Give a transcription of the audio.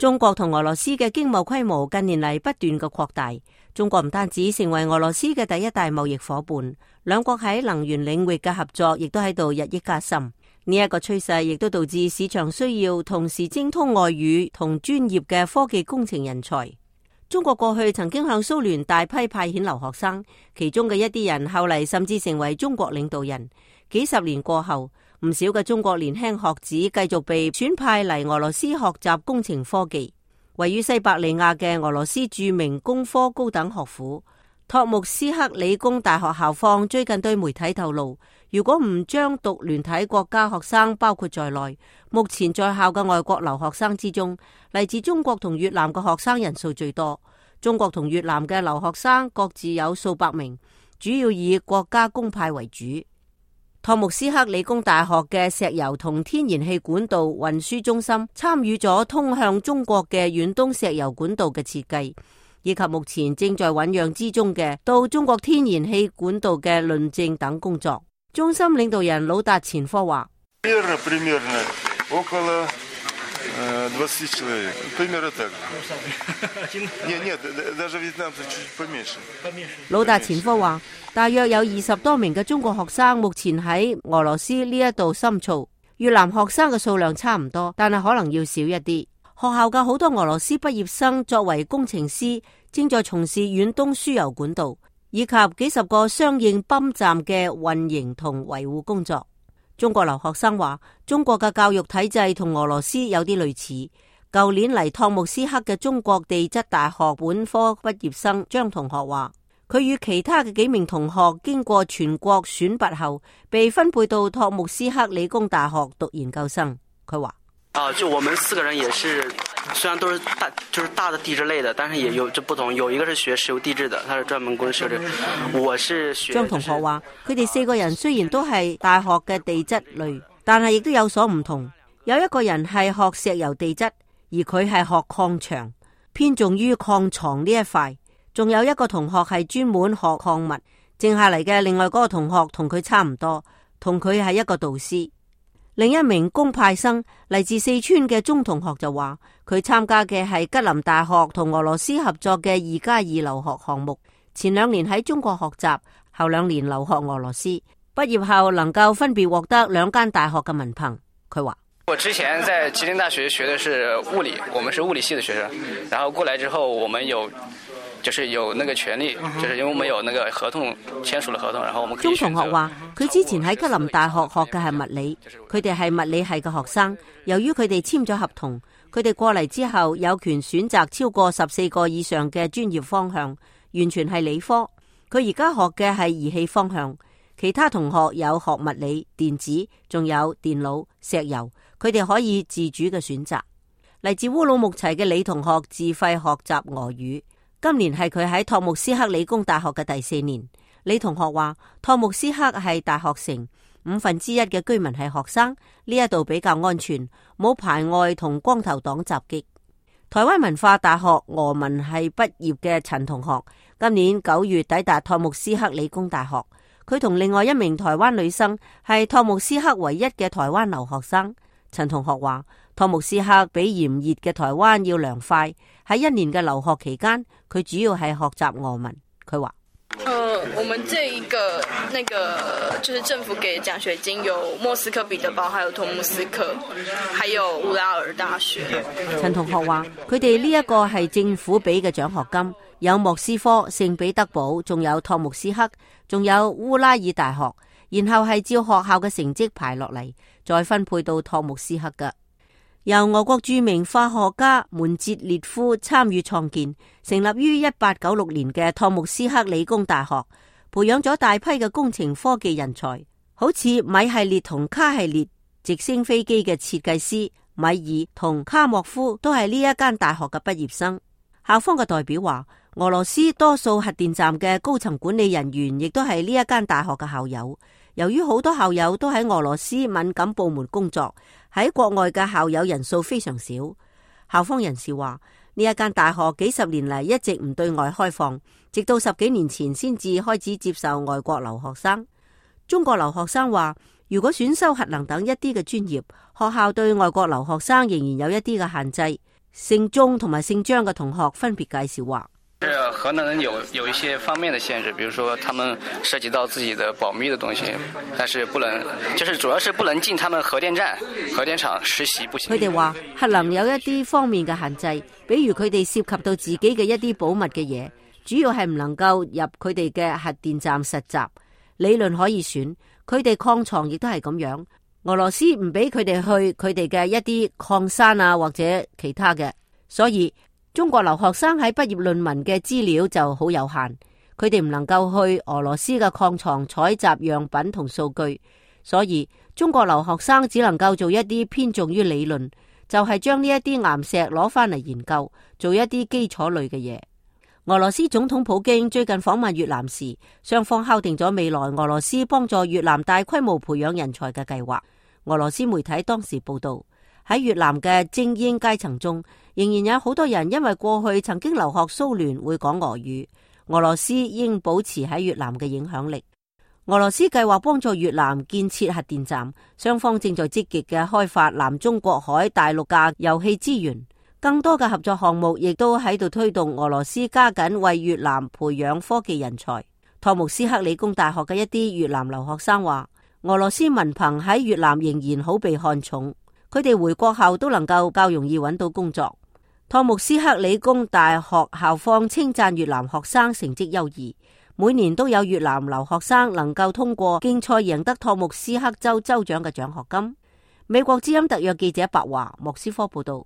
中國同俄羅斯嘅經貿規模近年嚟不斷嘅擴大，中國唔單止成為俄羅斯嘅第一大貿易夥伴，兩國喺能源領域嘅合作亦都喺度日益加深。呢一個趨勢亦都導致市場需要同時精通外語同專業嘅科技工程人才。中國過去曾經向蘇聯大批派遣留學生，其中嘅一啲人後嚟甚至成為中國領導人。幾十年過後，唔少嘅中國年輕學子繼續被選派嚟俄羅斯學習工程科技。位於西伯利亞嘅俄羅斯著名工科高等學府托木斯克理工大學校方最近對媒體透露，如果唔將獨聯體國家學生包括在內，目前在校嘅外國留學生之中，嚟自中國同越南嘅學生人數最多。中國同越南嘅留學生各自有數百名，主要以國家公派為主。托木斯克理工大學嘅石油同天然氣管道運輸中心參與咗通向中國嘅遠東石油管道嘅設計，以及目前正在醞釀之中嘅到中國天然氣管道嘅論證等工作。中心領導人魯達前科話魯達前科話，大約有20多名嘅中國學生目前喺俄羅斯呢一度深造，越南學生嘅數量差唔多，但係可能要少一啲。學校嘅好多俄羅斯畢業生作為工程師，正在從事遠東輸油管道以及幾十個相應泵站嘅運營同維護工作。中國留學生話，中國嘅教育體制同俄羅斯有啲類似。舊年嚟托木斯克嘅中國地質大學本科畢業生張同學話，佢與其他嘅幾名同學經過全國選拔後，被分配到托木斯克理工大學讀研究生。佢話：就我們4個人也是，雖然都是大的地質類的，但是也有這不同。有一個是學石油地質的，他是專門攻石油。我是學張同學話，佢哋4個人雖然都係大學嘅地質類，但係亦都有所唔同。有一個人係學石油地質，而佢係學礦場，偏重於礦床呢一塊。仲有一個同學係專門學礦物。剩下嚟嘅另外嗰個同學同佢差唔多，同佢係一個導師。另一名公派生嚟自四川嘅鐘同學就話，佢參加嘅係吉林大學同俄羅斯合作嘅2+2留學項目，前2年喺中國學習，後2年留學俄羅斯，畢業後能夠分別獲得2間大學嘅文憑。佢話：我之前在吉林大學學的是物理，我們是物理系的學生，然後過來之後，我們有那個權利，就是因為我們有那個合同，簽署了合同，然後我們可以。鐘同學話，佢之前喺吉林大學學嘅係物理，佢哋係物理系嘅學生。由於佢哋簽咗合同，佢哋過嚟之後有權選擇超過14個以上嘅專業方向，完全係理科。佢而家學嘅係儀器方向，其他同學有學物理、電子，仲有電腦、石油，佢哋可以自主嘅選擇。嚟自烏魯木齊嘅李同學自費學習俄語。今年係佢喺托木斯克理工大學嘅第4年。李同學話，托木斯克係大學城，1/5嘅居民係學生，呢一度比較安全，冇排外同光頭黨襲擊。台灣文化大學俄文系畢業嘅陳同學，今年9月抵達托木斯克理工大學。佢同另外一名台灣女生係托木斯克唯一嘅台灣留學生。陳同學話，托木斯克比炎熱嘅台灣要涼快。喺1年嘅留學期間，佢主要係學習俄文。佢話：我們這一個就是政府給獎學金，有莫斯科彼得堡，還有托木斯克，還有烏拉爾大學。陳同學話：佢哋呢一個係政府俾嘅獎學金，有莫斯科、聖彼得堡，仲有托木斯克，仲有烏拉爾大學，然後係照學校嘅成績排落嚟，再分配到托木斯克嘅。由俄國著名化學家門捷列夫參與創建，成立於1896年嘅托木斯克理工大學，培養咗大批嘅工程科技人才，好似米系列同卡系列直升飛機嘅設計師米爾同卡莫夫都係呢一間大學嘅畢業生。校方嘅代表話，俄羅斯多數核電站嘅高層管理人員亦都係呢一間大學嘅校友。由於好多校友都喺俄羅斯敏感部門工作，喺國外嘅校友人數非常少。校方人士話，呢一間大學幾十年嚟一直唔對外開放，直到10幾年前先至開始接受外國留學生。中國留學生話，如果選修核能等一啲嘅專業，學校對外國留學生仍然有一啲嘅限制。姓鐘同埋姓張嘅同學分別介紹話，核能有一些方面的限制，比如說他們涉及到自己的保密的東西，但是不能，就是主要是不能進他們核電站、核電廠實習不行。佢哋話核能有一啲方面嘅限制，比如佢哋涉及到自己嘅一啲保密嘅嘢，主要係唔能夠入佢哋嘅核電站實習。理論可以選，佢哋礦床亦都係咁樣。俄羅斯唔俾佢哋去佢哋嘅一啲礦山啊，或者其他嘅，所以中國留學生喺畢業論文嘅資料就好有限，佢哋唔能夠去俄羅斯嘅礦床採集樣品同數據，所以中國留學生只能夠做一啲偏重於理論，就係將呢一啲岩石攞翻嚟研究，做一啲基礎類嘅嘢。俄羅斯總統普京最近訪問越南時，雙方敲定咗未來俄羅斯幫助越南大規模培養人才嘅計劃。俄羅斯媒體當時報道，喺越南嘅精英階層中，仍然有好多人因為過去曾經留學蘇聯會講俄語。俄羅斯應保持喺越南嘅影響力。俄羅斯計劃幫助越南建設核電站，雙方正在積極嘅開發南中國海大陸架油氣資源。更多嘅合作項目亦都喺度推動俄羅斯加緊為越南培養科技人才。托木斯克理工大學嘅一啲越南留學生話，俄羅斯文憑喺越南仍然好被看重，佢哋回國後都能夠較容易揾到工作。托木斯克理工大學校方稱讚越南學生成績優異，每年都有越南留學生能夠通過競賽贏得托木斯克州州長嘅獎學金。美國之音特約記者白華莫斯科報道。